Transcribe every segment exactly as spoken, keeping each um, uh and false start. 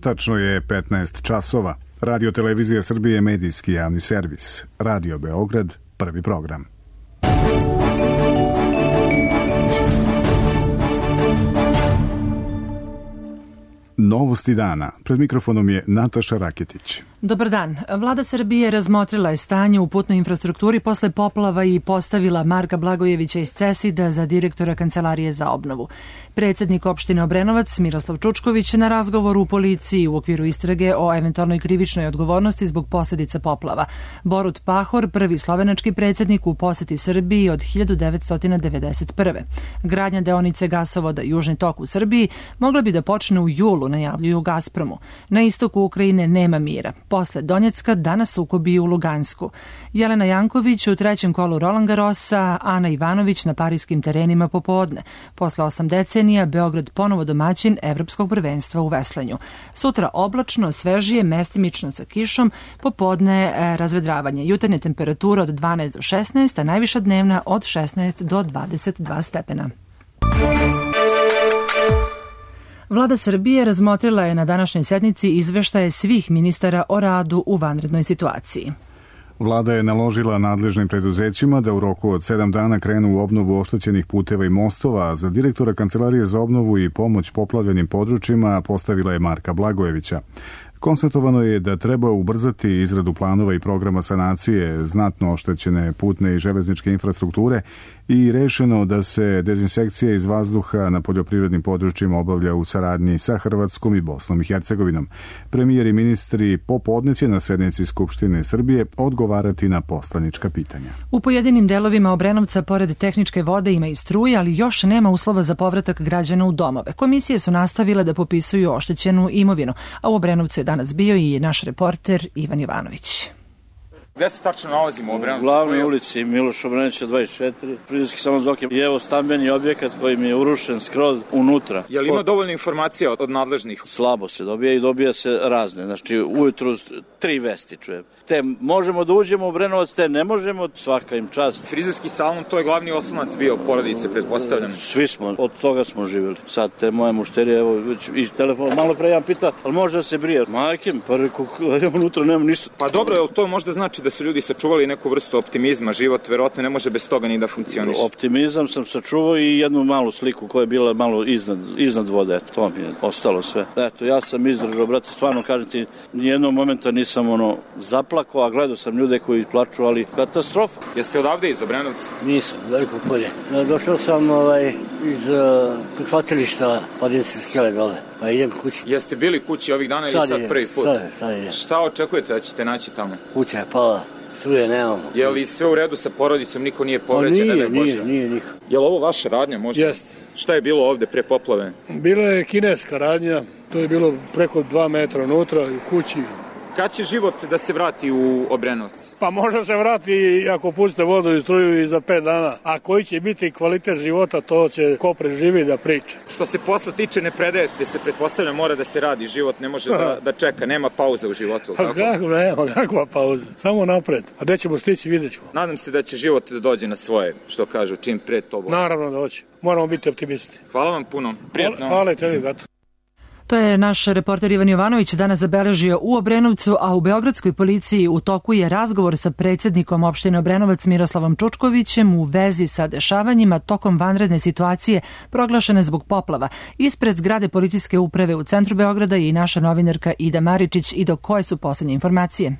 Tačno je petnaest časova. Radio Televizija Srbije, medijski javni servis. Radio Beograd, prvi program. Novosti dana. Pred mikrofonom je Nataša Raketić. Dobar dan. Vlada Srbije razmotrila je stanje u putnoj infrastrukturi posle poplava i postavila Marka Blagojevića iz CESID-a za direktora Kancelarije za obnovu. Predsednik opštine Obrenovac Miroslav Čučković na razgovoru u policiji u okviru istrage o eventualnoj krivičnoj odgovornosti zbog posledica poplava. Borut Pahor, prvi slovenački predsednik u poseti Srbiji od hiljadu devetsto devedeset prve. Gradnja deonice gasovoda Južni tok u Srbiji mogla bi da počne u julu, najavljuju Gazpromu. Na istoku Ukrajine nema mira. Posle Donjecka danas sukobi u Lugansku. Jelena Janković u trećem kolu Roland Garrosa, Ana Ivanović na parijskim terenima popodne. Posle osam decenija Beograd ponovo domaćin evropskog prvenstva u veslanju. Sutra oblačno, svežije, mestimično sa kišom, popodne e, razvedravanje. Jutarnja temperatura od dvanaest do šesnaest, a najviša dnevna od šesnaest do dvadeset dva stepena. Vlada Srbije razmotrila je na današnjoj sednici izveštaje svih ministara o radu u vanrednoj situaciji. Vlada je naložila nadležnim preduzećima da u roku od sedam dana krenu u obnovu oštećenih puteva i mostova, a za direktora Kancelarije za obnovu i pomoć poplavljenim područjima postavila je Marka Blagojevića. Konstatovano je da treba ubrzati izradu planova i programa sanacije znatno oštećene putne i železničke infrastrukture i rešeno da se dezinsekcija iz vazduha na poljoprivrednim područjima obavlja u saradnji sa Hrvatskom i Bosnom i Hercegovinom. Premijer i ministri popodne će na sednici Skupštine Srbije odgovarati na poslanička pitanja. U pojedinim delovima Obrenovca pored tehničke vode ima i struje, ali još nema uslova za povratak građana u domove. Komisije su nastavile da popisuju oštećenu imovinu, a u Obrenovcu je danas bio i naš reporter Ivan Jovanović. Gde se tačno nalazimo u Obrenovcu? U glavnoj ulici Miloša Obrenovića dvadeset četiri, Frizerski salon Zoki. I evo stambeni objekat koji mi je urušen skroz unutra. Je li ima dovoljno informacija od, od nadležnih? Slabo se dobija i dobija se razne. Znači ujutru tri vesti čujem. Te možemo da uđemo u Obrenovac, te ne možemo, svaka im čast. Frizerski salon, to je glavni oslonac bio porodice, pretpostavljam. Svi smo, od toga smo živjeli. Sad te moje mušterije, evo, već iz telefona, malo pre jedan pita, ali može da se brije? Majke mi, pa reku, ja unutra nemam ništa. Pa dobro, jel to možda znači da su ljudi sačuvali neku vrstu optimizma, život verovatno ne može bez toga ni da funkcioniše. Optimizam sam sačuvao i jednu malu sliku koja je bila malo iznad, iznad vode, eto, to mi je ostalo sve. Eto, ja sam izdržao, brate, stvarno kažem ti, nijednog momenta nisam ono zaplakao, a gledao sam ljude koji plaču, ali katastrofa. Jeste odavde iz Obrenovca? Nisam, Veliko Polje. Došao sam ovaj, iz uh, prihvatilišta Padinske skele dole, pa idem kući. Jeste bili kući ovih dana sad ili sad je, prvi put? Sad je, sad je. Šta očekujete da ćete naći tamo? Kuća je pala. Struje nemamo. Je li sve u redu sa porodicom, niko nije povređen? Nije, nije, nije niko. Je li ovo vaša radnja možda? Jeste. Šta je bilo ovde pre poplave? Bila je kineska radnja, to je bilo preko dva metra unutra u kući. Kad će život da se vrati u Obrenovac? Pa može se vrati ako puste vodu i struju i za pet dana. A koji će biti kvalitet života, to će ko preživi da priča. Što se posla tiče, ne predajete se, pretpostavlja mora da se radi, život ne može da, da čeka, nema pauza u životu. Pa kako, nema, kakva pauza, samo napred. A gde ćemo stići, vidjet ćemo. Nadam se da će život da dođe na svoje, što kažu, čim pre to bude. Naravno da hoće, moramo biti optimisti. Hvala vam puno, prijatno. Hvala i tebi, gato. To je naš reporter Ivan Jovanović danas zabeležio u Obrenovcu, a u Beogradskoj policiji u toku je razgovor sa predsednikom opštine Obrenovac Miroslavom Čučkovićem u vezi sa dešavanjima tokom vanredne situacije proglašene zbog poplava. Ispred zgrade policijske uprave u centru Beograda je i naša novinarka Ida Maričić. I do koje su poslednje informacije?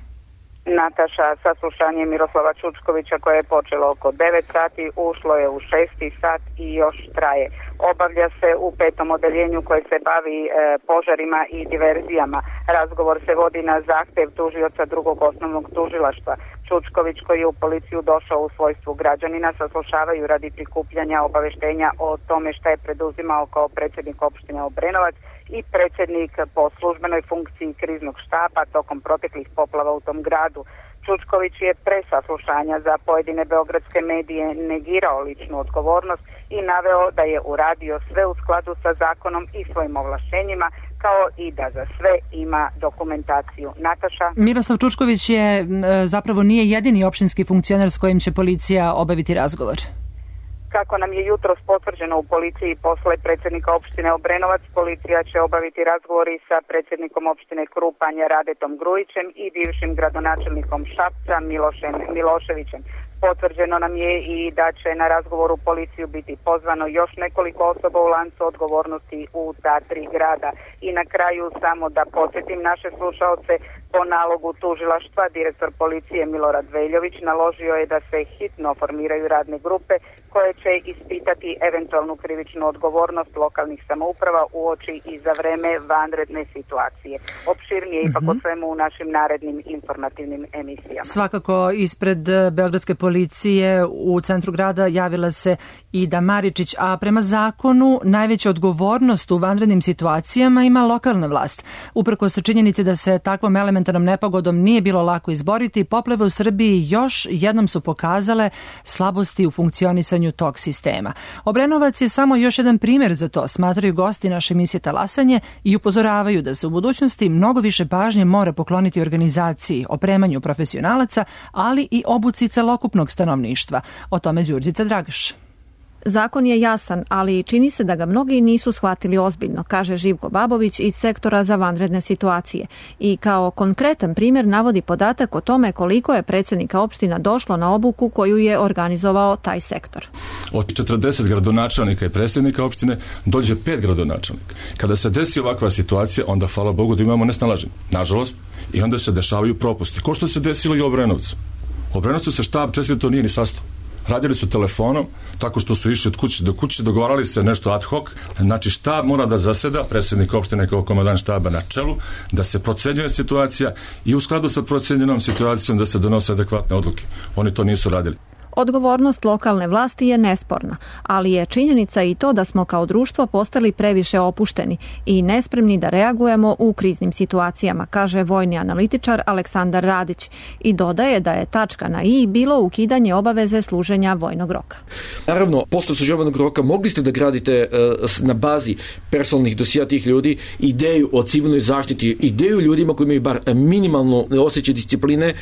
Nataša, saslušanje Miroslava Čučkovića koje je počelo oko devet sati, ušlo je u šesti sat i još traje. Obavlja se u petom odeljenju koje se bavi e, požarima i diverzijama. Razgovor se vodi na zahtev tužioca drugog osnovnog tužilaštva. Čučković, koji je u policiju došao u svojstvu građanina, saslušavaju radi prikupljanja obaveštenja o tome šta je preduzimao kao predsjednik opštine Obrenovac i predsjednik po službenoj funkciji kriznog štaba tokom proteklih poplava u tom gradu. Čučković je pre saslušanja za pojedine beogradske medije negirao ličnu odgovornost i naveo da je uradio sve u skladu sa zakonom i svojim ovlašćenjima, kao i da za sve ima dokumentaciju. Nataša? Miroslav Čučković je zapravo nije jedini opštinski funkcioner s kojim će policija obaviti razgovor. Kako nam je jutros potvrđeno u policiji posle predsjednika opštine Obrenovac, policija će obaviti razgovori sa predsjednikom opštine Krupanja Radetom Grujićem i bivšim gradonačelnikom Šapca Milošem Miloševićem. Potvrđeno nam je i da će na razgovoru u policiju biti pozvano još nekoliko osoba u lancu odgovornosti u ta tri grada. I na kraju samo da podsjetim naše slušaoce, po nalogu tužilaštva direktor policije Milorad Veljović naložio je da se hitno formiraju radne grupe koje će ispitati eventualnu krivičnu odgovornost lokalnih samouprava uoči i za vreme vanredne situacije. Opširnije ipak mm-hmm. o svemu u našim narednim informativnim emisijama. Svakako ispred beogradske policije u centru grada javila se Ida Maričić, a prema zakonu najveću odgovornost u vanrednim situacijama ima lokalna vlast. Uprkos činjenici da se takvom elementarnom nepogodom nije bilo lako izboriti, poplave u Srbiji još jednom su pokazale slabosti u funkcionisanju tog sistema. Obrenovac je samo još jedan primjer za to, smatraju gosti naše emisije Talasanje i upozoravaju da se u budućnosti mnogo više pažnje mora pokloniti organizaciji, opremanju profesionalaca, ali i obuci celokupnog stanovništva. O tome Đurđica Dragaš. Zakon je jasan, ali čini se da ga mnogi nisu shvatili ozbiljno, kaže Živko Babović iz sektora za vanredne situacije. I kao konkretan primjer navodi podatak o tome koliko je predsjednika opština došlo na obuku koju je organizovao taj sektor. Od četrdeset gradonačelnika i predsjednika opštine dođe pet gradonačelnika. Kada se desi ovakva situacija, onda hvala Bogu da imamo nesnalaženje. Nažalost, i onda se dešavaju propusti. Ko što se desilo i u Obrenovcu. U Obrenovcu se štab često nije ni sastao. Radili su telefonom, tako što su išli od kuće do kuće, dogovarali se nešto ad hoc. Znači štab mora da zaseda, predsjednik opštine kao komandant štaba na čelu, da se procenjuje situacija i u skladu sa procenjenom situacijom da se donose adekvatne odluke. Oni to nisu radili. Odgovornost lokalne vlasti je nesporna, ali je činjenica i to da smo kao društvo postali previše opušteni i nespremni da reagujemo u kriznim situacijama, kaže vojni analitičar Aleksandar Radić i dodaje da je tačka na i bilo ukidanje obaveze služenja vojnog roka. Naravno, posle služenja roka mogli ste da gradite na bazi personalnih dosija tih ljudi ideju o civilnoj zaštiti, ideju ljudima koji imaju bar minimalno osjećaj discipline,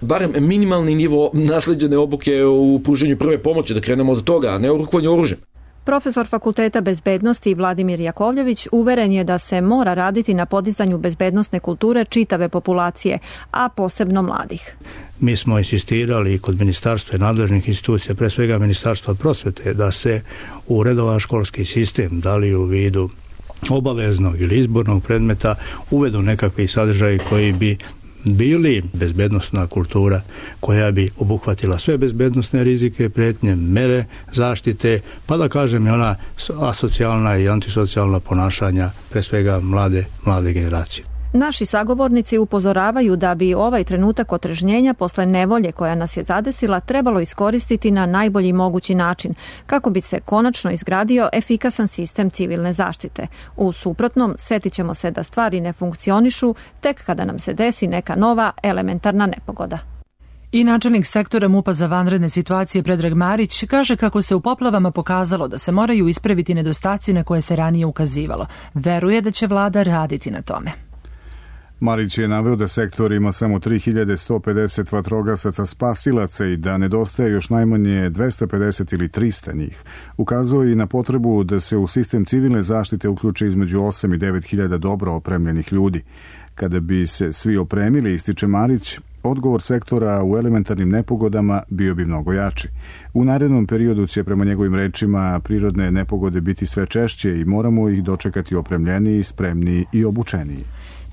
barem minimalni nivo nasleđene obuke u pružanju prve pomoći, da krenemo od toga, a ne u rukovanju oružjem. Profesor Fakulteta bezbednosti Vladimir Jakovljević uveren je da se mora raditi na podizanju bezbednosne kulture čitave populacije, a posebno mladih. Mi smo insistirali kod ministarstva i nadležnih institucija, pre svega Ministarstva prosvete, da se u redovan školski sistem, da li u vidu obaveznog ili izbornog predmeta, uvedu nekakvi sadržaji koji bi bili bezbednostna kultura koja bi obuhvatila sve bezbednosne rizike, prijetnje, mere zaštite, pa da kažem i ona asocijalna i antisocijalna ponašanja, pre svega mlade, mlade generacije. Naši sagovornici upozoravaju da bi ovaj trenutak otrežnjenja posle nevolje koja nas je zadesila trebalo iskoristiti na najbolji mogući način, kako bi se konačno izgradio efikasan sistem civilne zaštite. U suprotnom, setit ćemo se da stvari ne funkcionišu tek kada nam se desi neka nova elementarna nepogoda. I načelnik sektora MUP-a za vanredne situacije Predrag Marić kaže kako se u poplavama pokazalo da se moraju ispraviti nedostaci na koje se ranije ukazivalo. Veruje da će vlada raditi na tome. Marić je naveo da sektor ima samo tri hiljade sto pedeset vatrogasaca spasilaca i da nedostaje još najmanje dvesta pedeset ili trista njih. Ukazao i na potrebu da se u sistem civilne zaštite uključi između osam i devet hiljada dobro opremljenih ljudi. Kada bi se svi opremili, ističe Marić, odgovor sektora u elementarnim nepogodama bio bi mnogo jači. U narednom periodu će, prema njegovim rečima, prirodne nepogode biti sve češće i moramo ih dočekati opremljeniji, spremniji i obučeniji.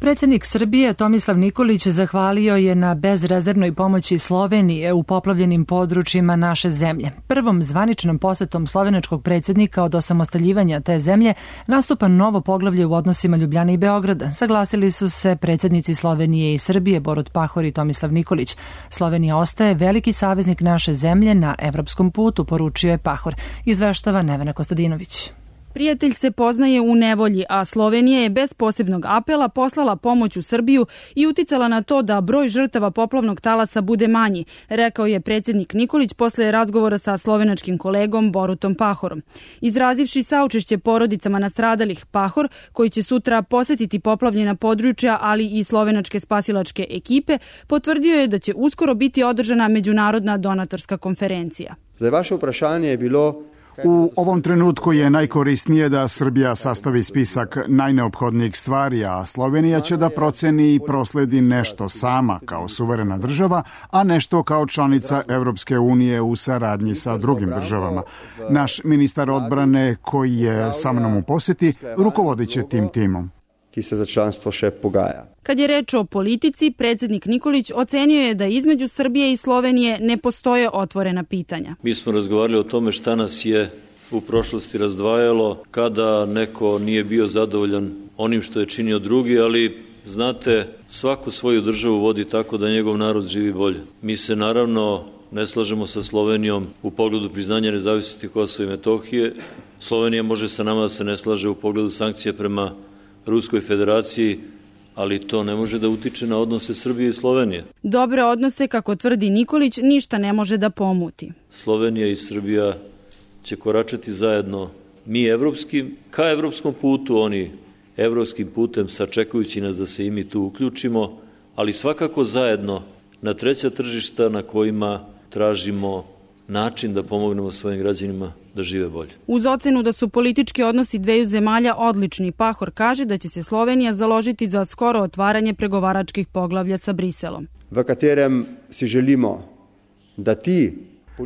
Predsjednik Srbije Tomislav Nikolić zahvalio je na bezrezervnoj pomoći Slovenije u poplavljenim područjima naše zemlje. Prvom zvaničnom posetom slovenačkog predsjednika od osamostaljivanja te zemlje nastupa novo poglavlje u odnosima Ljubljane i Beograda. Saglasili su se predsjednici Slovenije i Srbije Borut Pahor i Tomislav Nikolić. Slovenija ostaje veliki saveznik naše zemlje na evropskom putu, poručio je Pahor. Izveštava Nevena Kostadinović. Prijatelj se poznaje u nevolji, a Slovenija je bez posebnog apela poslala pomoć u Srbiju i uticala na to da broj žrtava poplavnog talasa bude manji, rekao je predsjednik Nikolić posle razgovora sa slovenačkim kolegom Borutom Pahorom. Izrazivši saučešće porodicama nastradalih, Pahor, koji će sutra posetiti poplavljena područja, ali i slovenačke spasilačke ekipe, potvrdio je da će uskoro biti održana međunarodna donatorska konferencija. Zdaj, vaše vprašanje je bilo U ovom trenutku je najkorisnije da Srbija sastavi spisak najneophodnijih stvari, a Slovenija će da proceni i prosledi nešto sama kao suverena država, a nešto kao članica Evropske unije u saradnji sa drugim državama. Naš ministar odbrane koji je sa mnom u poseti rukovodit će tim timom. Ki se za članstvo še pogaja. Kad je reč o politici, predsjednik Nikolić ocenio je da između Srbije i Slovenije ne postoje otvorena pitanja. Mi smo razgovarali o tome šta nas je u prošlosti razdvajalo, kada neko nije bio zadovoljan onim što je činio drugi, ali znate, svaku svoju državu vodi tako da njegov narod živi bolje. Mi se naravno ne slažemo sa Slovenijom u pogledu priznanja nezavisnosti Kosova i Metohije. Slovenija može sa nama da se ne slaže u pogledu sankcija prema Ruskoj federaciji, ali to ne može da utiče na odnose Srbije i Slovenije. Dobre odnose, kako tvrdi Nikolić, ništa ne može da pomuti. Slovenija i Srbija će koračati zajedno, mi evropskim, ka evropskom putu, oni evropskim putem, sačekujući nas da se i mi tu uključimo, ali svakako zajedno na treća tržišta na kojima tražimo način da pomognemo svojim građanima da žive bolje. Uz ocenu da su politički odnosi dveju zemalja odlični, Pahor kaže da će se Slovenija založiti za skoro otvaranje pregovaračkih poglavlja sa Briselom. V katerem si želimo da ti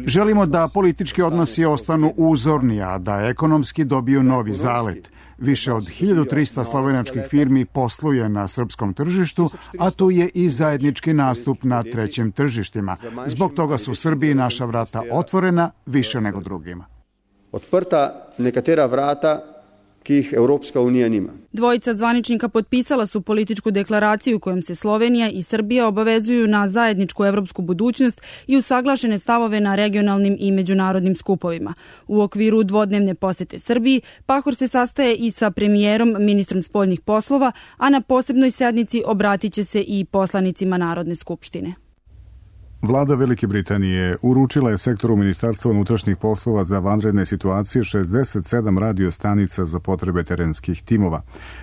Želimo da politički odnosi ostanu uzorni, a da ekonomski dobiju novi zalet. Više od hiljadu trista slovenačkih firmi posluje na srpskom tržištu, a tu je i zajednički nastup na trećim tržištima. Zbog toga su Srbiji naša vrata otvorena više nego drugima. Odprta nekatera vrata, ki ih Evropska unija nima. Dvojica zvaničnika potpisala su političku deklaraciju kojom se Slovenija i Srbija obavezuju na zajedničku evropsku budućnost i usaglašene stavove na regionalnim i međunarodnim skupovima. U okviru dvodnevne posete Srbiji, Pahor se sastaje i sa premijerom, ministrom spoljnih poslova, a na posebnoj sednici obratit će se i poslanicima Narodne skupštine. Vlada Velike Britanije uručila je sektoru Ministarstva unutrašnjih poslova za vanredne situacije šezdeset sedam radio stanica za potrebe terenskih timova.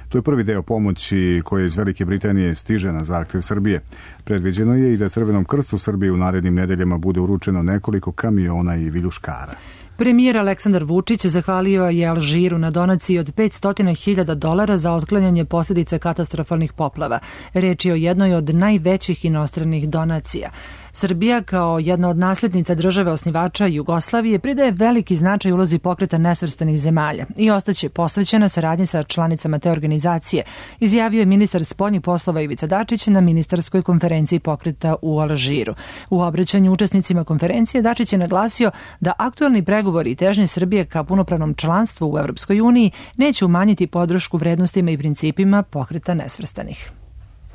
To je prvi deo pomoći koje iz Velike Britanije stiže na zahtev Srbije. Predviđeno je i da Crvenom krstu Srbije u narednim nedeljama bude uručeno nekoliko kamiona i viljuškara. Premijer Aleksandar Vučić zahvalio je Alžiru na donaciji od petsto hiljada dolara za otklanjanje posljedica katastrofalnih poplava. Reč je o jednoj od najvećih inostranih donacija. Srbija, kao jedna od nasljednica države osnivača Jugoslavije, pridaje veliki značaj ulozi pokreta nesvrstanih zemalja i ostaće posvećena saradnji sa članicama te organizacije, izjavio je ministar spoljnih poslova Ivica Dačić na ministarskoj konferenciji pokreta u Alžiru. U obraćanju učesnicima konferencije Dačić je naglasio da aktuelni pregovori i težnje Srbije ka punopravnom članstvu u Evropskoj uniji neće umanjiti podršku vrednostima i principima pokreta nesvrstanih.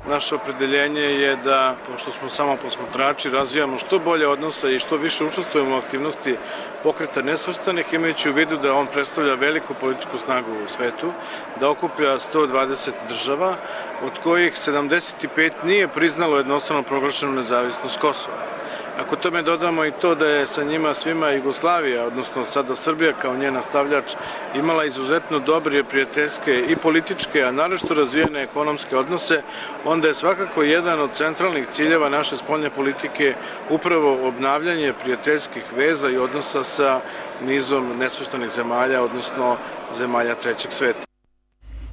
Naše opredeljenje je da, pošto smo samo posmatrači, razvijamo što bolje odnose i što više učestvujemo u aktivnosti pokreta nesvrstanih, imajući u vidu da on predstavlja veliku političku snagu u svetu, da okuplja sto dvadeset država, od kojih sedamdeset pet nije priznalo jednostrano proglašenu nezavisnost Kosova. Ako tome dodamo i to da je sa njima svima Jugoslavija, odnosno sada Srbija kao njen nastavljač, imala izuzetno dobre, prijateljske i političke, a naročito razvijene ekonomske odnose, onda je svakako jedan od centralnih ciljeva naše spoljne politike upravo obnavljanje prijateljskih veza i odnosa sa nizom nesvrstanih zemalja, odnosno zemalja trećeg sveta.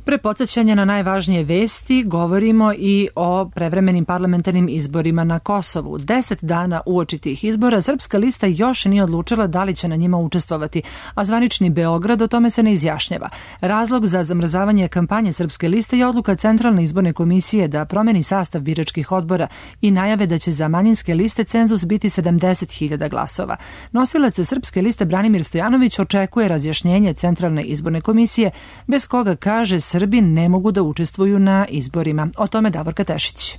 Pre podsjećanja na najvažnije vesti govorimo i o prevremenim parlamentarnim izborima na Kosovu. Deset dana uoči tih izbora Srpska lista još nije odlučila da li će na njima učestvovati, a zvanični Beograd o tome se ne izjašnjava. Razlog za zamrzavanje kampanje Srpske liste je odluka Centralne izborne komisije da promeni sastav biračkih odbora i najave da će za manjinske liste cenzus biti sedamdeset hiljada glasova. Nosilac Srpske liste Branimir Stojanović očekuje razjašnjenje Centralne izborne komisije, bez koga, kaže, Srbi ne mogu da učestvuju na izborima. O tome Davorka Tešić.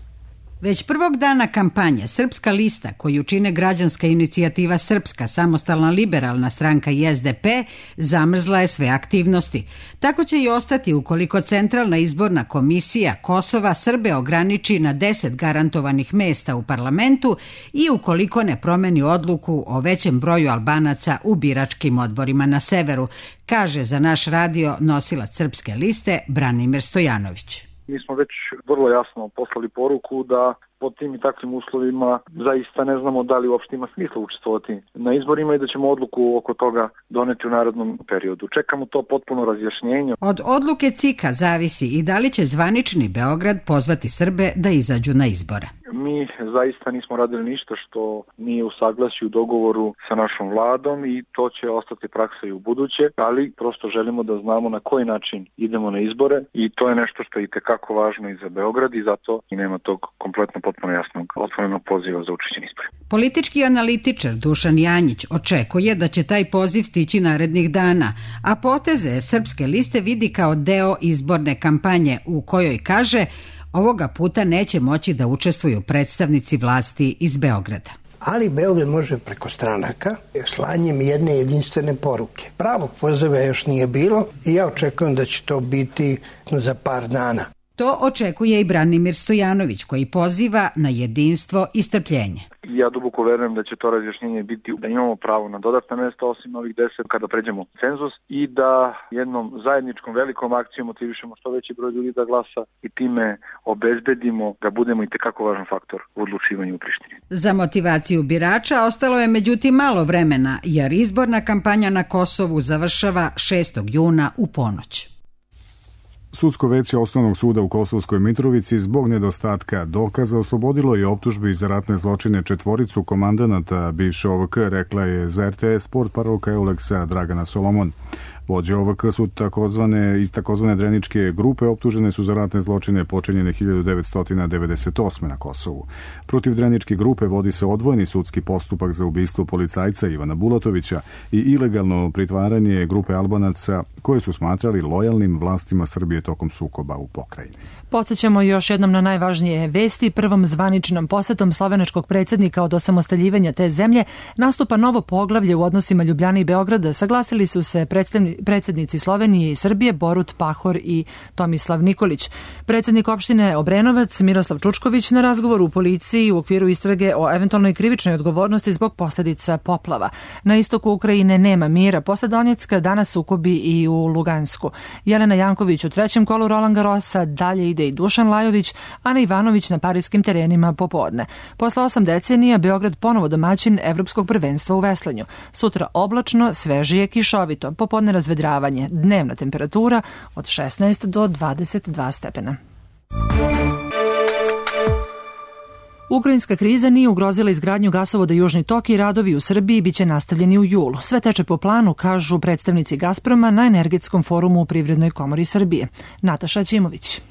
Već prvog dana kampanje Srpska lista, koju čine Građanska inicijativa Srpska, Samostalna liberalna stranka i es de pe, zamrzla je sve aktivnosti. Tako će i ostati ukoliko Centralna izborna komisija Kosova Srbe ograniči na deset garantovanih mesta u parlamentu i ukoliko ne promeni odluku o većem broju Albanaca u biračkim odborima na severu, kaže za naš radio nosilac Srpske liste Branimir Stojanović. Mi smo već vrlo jasno poslali poruku da pod tim i takvim uslovima zaista ne znamo da li uopšte ima smisla učestvovati na izborima i da ćemo odluku oko toga doneti u narednom periodu. Čekamo to potpuno razjašnjenje. Od odluke C I K-a zavisi i da li će zvanični Beograd pozvati Srbe da izađu na izbore. Mi zaista nismo radili ništa što nije u saglasju, u dogovoru sa našom vladom i to će ostati praksa i u buduće, ali prosto želimo da znamo na koji način idemo na izbore i to je nešto što je itekako važno i za Beograd i zato i nema tog kompletno potpuno jasnog otvorenog poziva za učešće izbore. Politički analitičar Dušan Janjić očekuje da će taj poziv stići narednih dana, a poteze Srpske liste vidi kao deo izborne kampanje u kojoj kaže ovoga puta neće moći da učestvuju predstavnici vlasti iz Beograda. Ali Beograd može preko stranaka slanjem jedne jedinstvene poruke. Pravog poziva još nije bilo i ja očekujem da će to biti za par dana. To očekuje i Branimir Stojanović koji poziva na jedinstvo i strpljenje. Ja duboko verujem da će to razjašnjenje biti da imamo pravo na dodatna mesta osim ovih deset kada pređemo cenzus i da jednom zajedničkom velikom akcijom motivišemo što veći broj ljudi da glasa i time obezbedimo da budemo i tekako važan faktor u odlučivanju u Prištini. Za motivaciju birača ostalo je međutim malo vremena jer izborna kampanja na Kosovu završava šestog juna u ponoć. Sudsko veće Osnovnog suda u Kosovskoj Mitrovici zbog nedostatka dokaza oslobodilo je optužbi za ratne zločine četvoricu komandanata bivše O V K, rekla je za R T S Sport parolka Euleksa Dragana Solomon. Vođe O V K su takozvane, iz takozvane Dreničke grupe optužene su za ratne zločine počinjene hiljadu devetsto devedeset osme na Kosovu. Protiv Dreničke grupe vodi se odvojeni sudski postupak za ubistvo policajca Ivana Bulatovića i ilegalno pritvaranje grupe Albanaca koje su smatrali lojalnim vlastima Srbije tokom sukoba u pokrajini. Podsjećamo još jednom na najvažnije vesti. Prvom zvaničnom posetom slovenačkog predsjednika od osamostaljivanja te zemlje nastupa novo poglavlje u odnosima Ljubljane i Beograda. Saglasili su se predsjednici Slovenije i Srbije Borut Pahor i Tomislav Nikolić. Predsjednik opštine Obrenovac Miroslav Čučković na razgovoru u policiji u okviru istrage o eventualnoj krivičnoj odgovornosti zbog posljedica poplava. Na istoku Ukrajine nema mira. Posle Donjecka danas sukobi i u Lugansku. Jelena Janković u trećem kolu Roland Garrosa, dalje ide i Dušan Lajović, Ana Ivanović na parijskim terenima popodne. Posle osam decenija Beograd ponovo domaćin Evropskog prvenstva u veslanju. Sutra oblačno, svežije, kišovito, popodne razvedravanje, dnevna temperatura od šesnaest do dvadeset dva stepena. Ukrajinska kriza nije ugrozila izgradnju gasovoda Južni tok i radovi u Srbiji biće nastavljeni u julu. Sve teče po planu, kažu predstavnici Gazproma na Energetskom forumu u Privrednoj komori Srbije. Nataša Ćimović.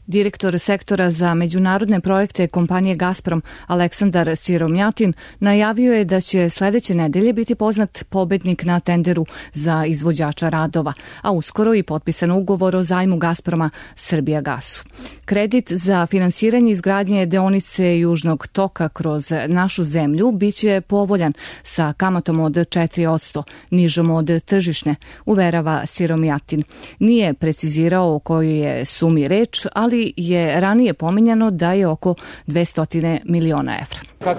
Direktor sektora za međunarodne projekte kompanije Gazprom Aleksandar Siromjatin najavio je da će sledeće nedelje biti poznat pobednik na tenderu za izvođača radova, a uskoro i potpisan ugovor o zajmu Gazproma Srbijagasu. Kredit za finansiranje izgradnje deonice Južnog toka kroz našu zemlju biće povoljan sa kamatom od četiri posto, nižom od tržišne, uverava Siromjatin. Nije precizirao o kojoj je sumi reč, ali je ranije pominjano da je oko dvesta miliona evra.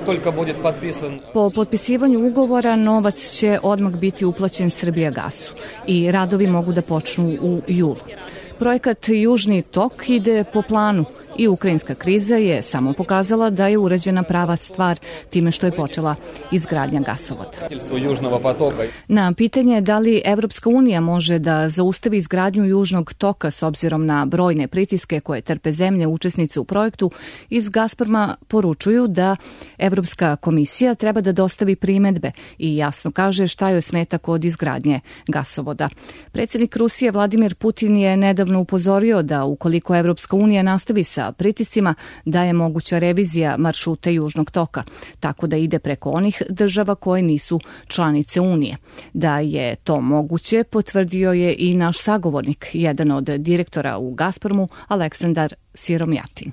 Po potpisivanju ugovora novac će odmah biti uplaćen Srbijagasu i radovi mogu da počnu u julu. Projekat Južni tok ide po planu i ukrajinska kriza je samo pokazala da je urađena prava stvar time što je počela izgradnja gasovoda. Na pitanje da li Evropska unija može da zaustavi izgradnju Južnog toka s obzirom na brojne pritiske koje trpe zemlje učesnice u projektu, iz Gazproma poručuju da Evropska komisija treba da dostavi primedbe i jasno kaže šta joj smeta kod izgradnje gasovoda. Predsjednik Rusije Vladimir Putin je nedavno upozorio da ukoliko Evropska unija nastavi sa pritiscima da je moguća revizija maršruta Južnog toka, tako da ide preko onih država koje nisu članice Unije. Da je to moguće potvrdio je i naš sagovornik, jedan od direktora u Gazpromu, Aleksandar Siromjatin.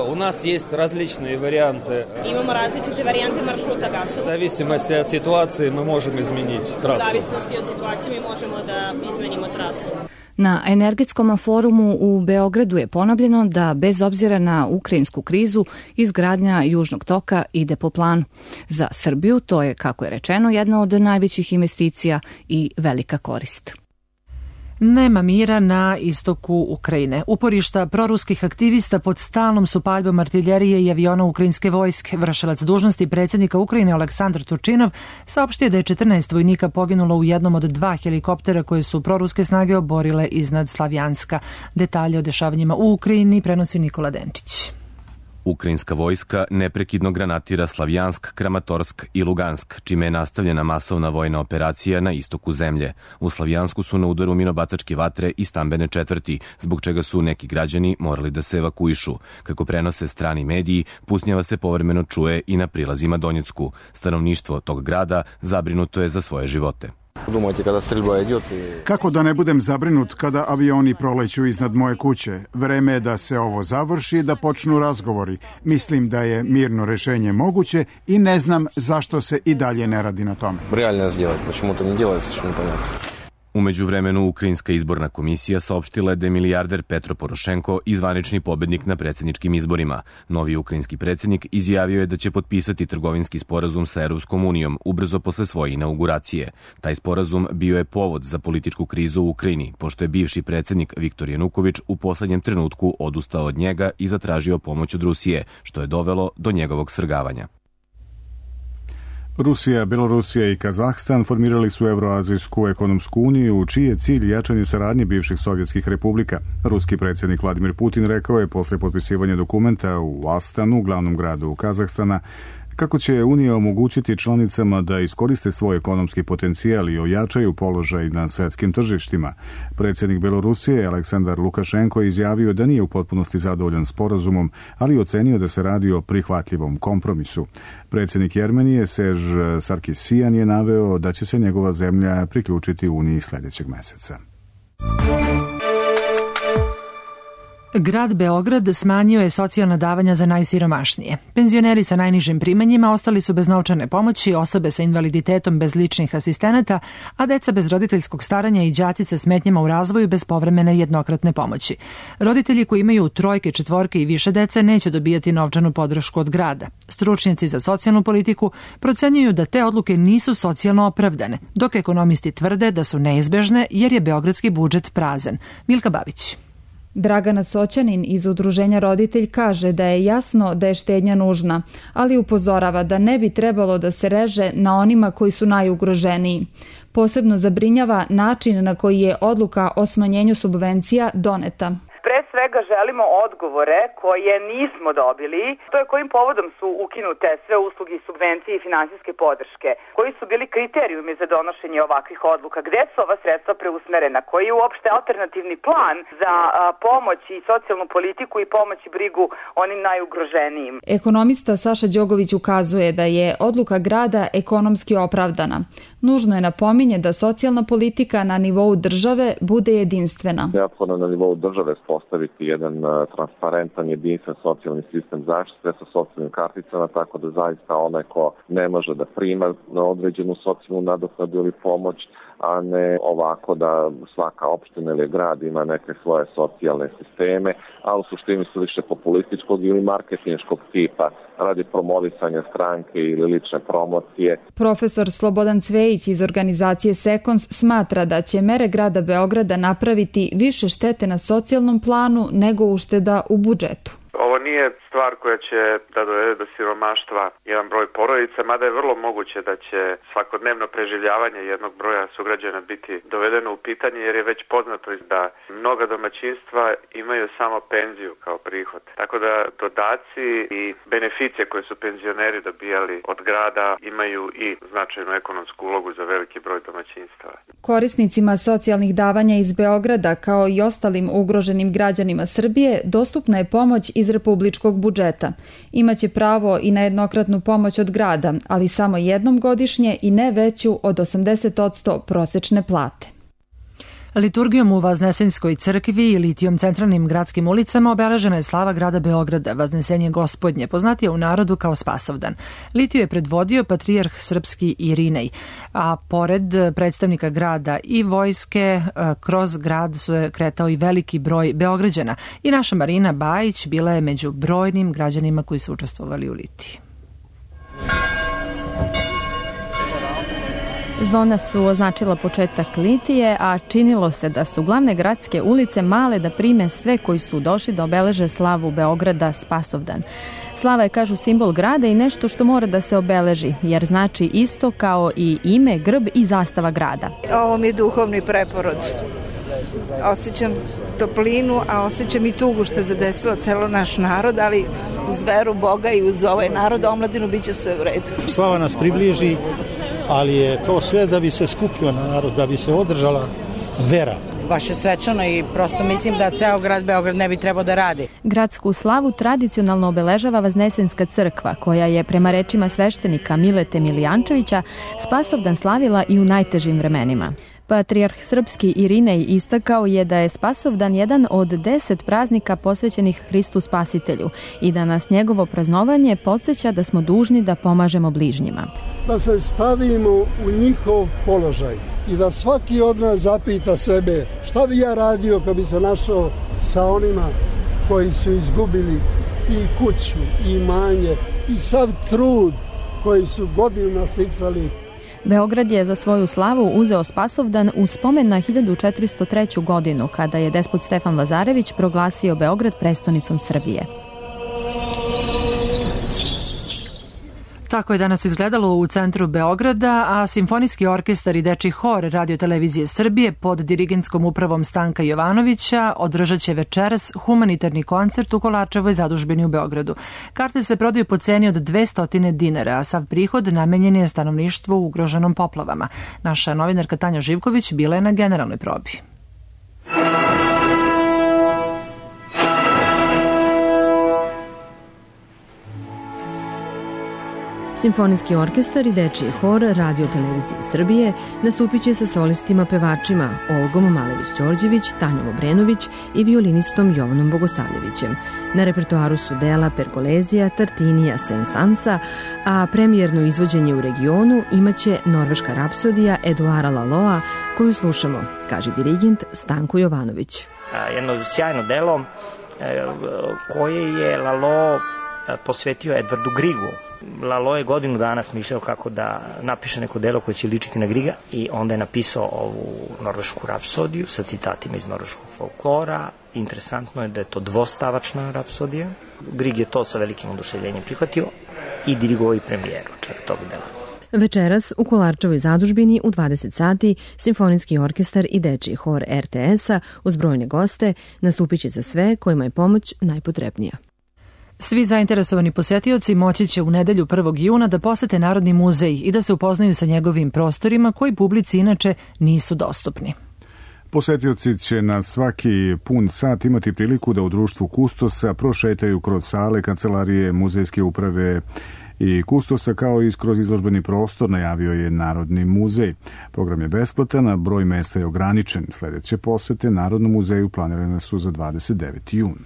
У нас есть различные варианты. Имamo različite varijante maršruta gasovoda. В зависимости от ситуации мы можем изменить трассу. U zavisnosti od situacije mi možemo da izmenimo trasu. Na Energetskom forumu u Beogradu je ponovljeno da bez obzira na ukrajinsku krizu izgradnja Južnog toka ide po planu. Za Srbiju to je, kako je rečeno, jedna od najvećih investicija i velika korist. Nema mira na istoku Ukrajine. Uporišta proruskih aktivista pod stalnom su paljbom artiljerije i aviona ukrajinske vojske. Vršilac dužnosti predsjednika Ukrajine Aleksandar Turčinov saopštio da je četrnaest vojnika poginulo u jednom od dva helikoptera koje su proruske snage oborile iznad Slavjanska. Detalje o dešavanjima u Ukrajini prenosi Nikola Denčić. Ukrajinska vojska neprekidno granatira Slavjansk, Kramatorsk i Lugansk, čime je nastavljena masovna vojna operacija na istoku zemlje. U Slavjansku su na udaru minobacačke vatre i stambene četvrti, zbog čega su neki građani morali da se evakuišu. Kako prenose strani mediji, pucnjava se povremeno čuje i na prilazima Donjecku. Stanovništvo tog grada zabrinuto je za svoje živote. Kako da ne budem zabrinut kada avioni proleću iznad moje kuće? Vreme je da se ovo završi, da počnu razgovori. Mislim da je mirno rešenje moguće i ne znam zašto se i dalje ne radi na tome. U međuvremenu, Ukrajinska izborna komisija saopštila je da je milijarder Petro Porošenko i zvanični pobednik na predsjedničkim izborima. Novi ukrajinski predsjednik izjavio je da će potpisati trgovinski sporazum sa Europskom unijom ubrzo posle svoje inauguracije. Taj sporazum bio je povod za političku krizu u Ukrajini, pošto je bivši predsjednik Viktor Januković u poslednjem trenutku odustao od njega i zatražio pomoć od Rusije, što je dovelo do njegovog svrgavanja. Rusija, Belorusija i Kazahstan formirali su Evroazijsku ekonomsku uniju, čiji je cilj jačanje saradnje bivših sovjetskih republika. Ruski predsjednik Vladimir Putin rekao je posle potpisivanja dokumenta u Astanu, glavnom gradu Kazahstana, kako će Unija omogućiti članicama da iskoriste svoj ekonomski potencijal i ojačaju položaj na svetskim tržištima. Predsjednik Belorusije Aleksandar Lukašenko izjavio da nije u potpunosti zadovoljan sporazumom, ali ocenio da se radi o prihvatljivom kompromisu. Predsjednik Jermenije Serž Sarkisijan je naveo da će se njegova zemlja priključiti Uniji sljedećeg meseca. Grad Beograd smanjio je socijalna davanja za najsiromašnije. Penzioneri sa najnižim primanjima ostali su bez novčane pomoći, osobe sa invaliditetom bez ličnih asistenata, a deca bez roditeljskog staranja i đaci sa smetnjama u razvoju bez povremene jednokratne pomoći. Roditelji koji imaju trojke, četvorke i više dece neće dobijati novčanu podršku od grada. Stručnjaci za socijalnu politiku procenjuju da te odluke nisu socijalno opravdane, dok ekonomisti tvrde da su neizbežne jer je beogradski budžet prazan. Milka Babić. Dragana Soćanin iz Udruženja Roditelj kaže da je jasno da je štednja nužna, ali upozorava da ne bi trebalo da se reže na onima koji su najugroženiji. Posebno zabrinjava način na koji je odluka o smanjenju subvencija doneta. Pre svega želimo odgovore koje nismo dobili, to je kojim povodom su ukinute sve usluge, subvencije i finansijske podrške, koji su bili kriterijumi za donošenje ovakvih odluka, gde su ova sredstva preusmerena, koji je uopšte alternativni plan za a, pomoć i socijalnu politiku i pomoć i brigu onim najugroženijim. Ekonomista Saša Đogović ukazuje da je odluka grada ekonomski opravdana. Nužno je napominje da socijalna politika na nivou države bude jedinstvena. Neophodno na nivou države postaviti jedan transparentan, jedinstven socijalni sistem zaštite sa socijalnim karticama, tako da zaista onaj ko ne može da prima na određenu socijalnu nadoknadu ili pomoć, a ne ovako da svaka opština ili grad ima neke svoje socijalne sisteme, a u suštini su više populističkog ili marketinškog tipa radi promovisanja stranke ili lične promocije. Profesor Slobodan Cvejić iz organizacije Sekons smatra da će mere grada Beograda napraviti više štete na socijalnom planu nego ušteda u budžetu. Ovo nije stvar koja će da dovede do siromaštva jedan broj porodica, mada je vrlo moguće da će svakodnevno preživljavanje jednog broja sugrađana biti dovedeno u pitanje, jer je već poznato da mnoga domaćinstva imaju samo penziju kao prihod. Tako da dodaci i beneficije koje su penzioneri dobijali od grada imaju i značajnu ekonomsku ulogu za veliki broj domaćinstava. Korisnicima socijalnih davanja iz Beograda, kao i ostalim ugroženim građanima Srbije, dostupna je pomoć iz republičkog budžeta. Imaće pravo i na jednokratnu pomoć od grada, ali samo jednom godišnje i ne veću od osamdeset posto prosečne plate. Liturgijom u Vaznesenjskoj crkvi i litijom centralnim gradskim ulicama obeležena je slava grada Beograda, Vaznesenje Gospodnje, poznatije u narodu kao Spasovdan. Litiju je predvodio patrijarh srpski Irinej, a pored predstavnika grada i vojske, kroz grad su je kretao i veliki broj Beograđana. I naša Marina Bajić bila je među brojnim građanima koji su učestvovali u litiji. Zvona su označila početak litije, a činilo se da su glavne gradske ulice male da prime sve koji su došli da obeleže slavu Beograda Spasovdan. Slava je, kažu, simbol grada i nešto što mora da se obeleži, jer znači isto kao i ime, grb i zastava grada. Ovo mi je duhovni preporod. Osjećam toplinu, a osjećam i tugu što je zadesilo celo naš narod, ali uz veru Boga i uz ovaj narod omladinu bit će sve u redu. Slava nas približi, ali je to sve da bi se skupio narod, da bi se održala vera. Baš je svečano i prosto mislim da ceo grad Beograd ne bi trebao da radi. Gradsku slavu tradicionalno obeležava Vaznesenska crkva, koja je prema rečima sveštenika Milete Milijančevića Spasovdan slavila i u najtežim vremenima. Patrijarh srpski Irinej istakao je da je Spasovdan jedan od deset praznika posvećenih Hristu Spasitelju i da nas njegovo praznovanje podsjeća da smo dužni da pomažemo bližnjima. Da se stavimo u njihov položaj i da svaki od nas zapita sebe šta bi ja radio kad bi se našao sa onima koji su izgubili i kuću, i imanje, i sav trud koji su godinama sticali. Beograd je za svoju slavu uzeo Spasovdan u spomen na hiljadu četiristo treću. godinu, kada je despot Stefan Lazarević proglasio Beograd prestonicom Srbije. Tako je danas izgledalo u centru Beograda, a Simfonijski orkestar i Dečiji hor Radio-televizije Srbije pod dirigentskom upravom Stanka Jovanovića održat će večeras humanitarni koncert u Kolarčevoj zadužbini u Beogradu. Karte se prodaju po ceni od dvesta dinara, a sav prihod namenjen je stanovništvu ugroženom poplavama. Naša novinarka Tanja Živković bila je na generalnoj probi. Simfonijski orkestar i Dečiji hor Radio-televizije Srbije nastupit će sa solistima pevačima Olgom Malević-Đorđević, Tanjom Obrenović i violinistom Jovanom Bogosavljevićem. Na repertoaru su dela Pergolezija, Tartinija, Sensansa, a premijerno izvođenje u regionu imaće Norveška rapsodija Eduara Laloa, koju slušamo, kaže dirigent Stanko Jovanović. Jedno sjajno delo koje je Lalo posvetio Edvardu Grigu. Lalo je godinu dana smišljao kako da napiše neko delo koje će ličiti na Griga i onda je napisao ovu norvešku rapsodiju sa citatima iz norveškog folklora. Interesantno je da je to dvostavačna rapsodija. Grig je to sa velikim oduševljenjem prihvatio i dirigovao i premijeru čak tog dela. Večeras u Kolarčevoj zadužbini u dvadeset sati Simfonijski orkestar i Dečiji hor er te es-a uz brojne goste nastupit će za sve kojima je pomoć najpotrebnija. Svi zainteresovani posetioci moći će u nedelju prvog juna da posete Narodni muzej i da se upoznaju sa njegovim prostorima koji publici inače nisu dostupni. Posetioci će na svaki pun sat imati priliku da u društvu kustosa prošetaju kroz sale, kancelarije, muzejske uprave i kustosa, kao i kroz izložbeni prostor, najavio je Narodni muzej. Program je besplatan, a broj mesta je ograničen. Sledeće posete Narodnom muzeju planirane su za dvadeset deveti jun.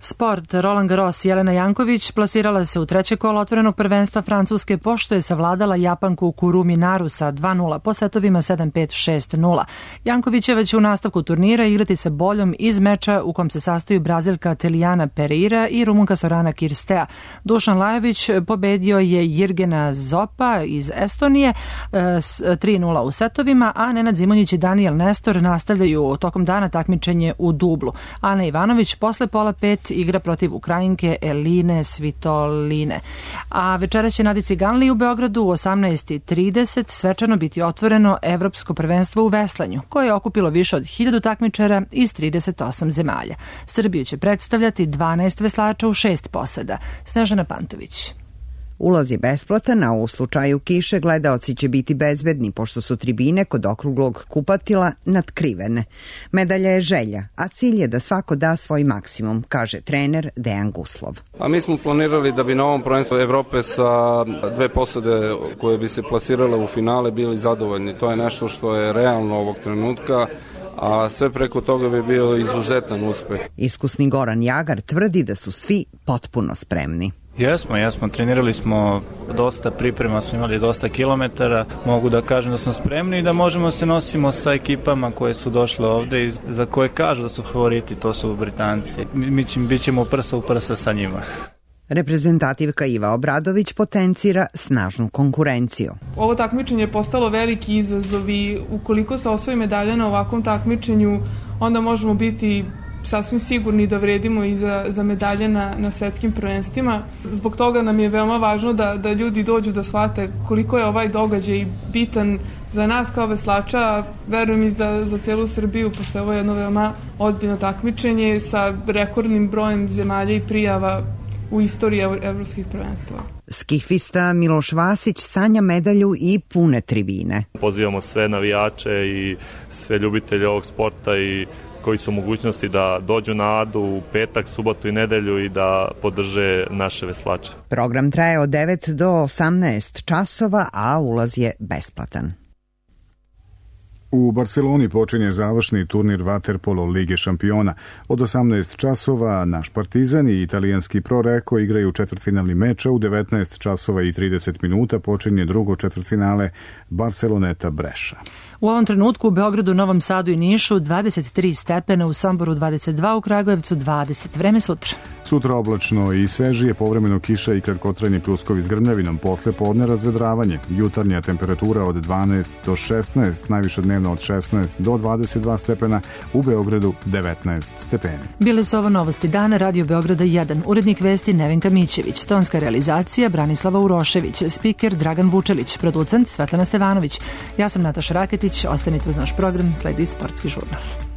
Sport. Roland Garros Jelena Janković plasirala se u treće kolo otvorenog prvenstva Francuske pošto je savladala Japanku Kurumi Naru sa dva nula po setovima sedam pet šest nula. Jankovićeva će u nastavku turnira igrati sa boljom iz meča u kom se sastaju Brazilka Telijana Pereira i Rumunka Sorana Kirstea. Dušan Lajović pobedio je Jirgena Zopa iz Estonije s tri nula u setovima, a Nenad Zimonjić i Daniel Nestor nastavljaju tokom dana takmičenje u dublu. Ana Ivanović posle pola pet igra protiv Ukrajinke Eline Svitoline. A večera će Nadici Ganli u Beogradu u osamnaest trideset svečano biti otvoreno Evropsko prvenstvo u veslanju, koje je okupilo više od hiljadu takmičara iz trideset osam zemalja. Srbiju će predstavljati dvanaest veslača u šest posada. Snežana Pantović. Ulaz je besplatan, a u slučaju kiše gledaoci će biti bezbedni, pošto su tribine kod okruglog kupatila natkrivene. Medalja je želja, a cilj je da svako da svoj maksimum, kaže trener Dejan Guslov. A mi smo planirali da bi na ovom prvenstvu Evrope sa dve posade koje bi se plasirale u finale bili zadovoljni. To je nešto što je realno ovog trenutka, a sve preko toga bi bio izuzetan uspeh. Iskusni Goran Jagar tvrdi da su svi potpuno spremni. Jesmo, jesmo, trenirali smo dosta priprema, smo imali dosta kilometara, mogu da kažem da smo spremni i da možemo se nosimo sa ekipama koje su došle ovde i za koje kažu da su favoriti, to su Britanci. Mi ćemo, bit ćemo prsa u prsa sa njima. Reprezentativka Iva Obradović potencira snažnu konkurenciju. Ovo takmičenje je postalo veliki izazov i ukoliko se osvoji medalja na ovakvom takmičenju, onda možemo biti sasvim sigurni da vredimo i za, za medalje na, na svetskim prvenstvima. Zbog toga nam je veoma važno da, da ljudi dođu da shvate koliko je ovaj događaj bitan za nas kao veslača, verujem i za, za celu Srbiju, pošto je ovo jedno veoma ozbiljno takmičenje sa rekordnim brojem zemalja i prijava u istoriji evropskih prvenstva. Skifista Miloš Vasić sanja medalju i pune tribine. Pozivamo sve navijače i sve ljubitelje ovog sporta i koji su mogućnosti da dođu na Adu u petak, subotu i nedelju i da podrže naše veslače. Program traje od devet do osamnaest časova, a ulaz je besplatan. U Barceloni počinje završni turnir Vaterpolo Lige šampiona. Od osamnaest časova naš Partizan i italijanski Pro Reko igraju četvrtfinalni meč, a u devetnaest časova i trideset minuta počinje drugo četvrtfinale Barceloneta Breša. U ovom trenutku u Beogradu, Novom Sadu i Nišu dvadeset tri stepena, u Somboru dvadeset dva, u Kragujevcu dvadeset. Vreme sutra. Sutra oblačno i svežije, povremeno kiša i kratkotrajni pljuskovi s grmljavinom, posle podne razvedravanje. Jutarnja temperatura od dvanaest do šesnaest, najviše dnevno od šesnaest do dvadeset dva stepena, u Beogradu devetnaest stepeni. Bile su ovo novosti dana, Radio Beograda jedan, urednik vesti Nevenka Mićević, tonska realizacija Branislava Urošević, spiker Dragan Vučelić, producent Svetlana Stevanović. Ja sam Nataša Raketić, ostanite uz naš program, sledi Sportski žurnal.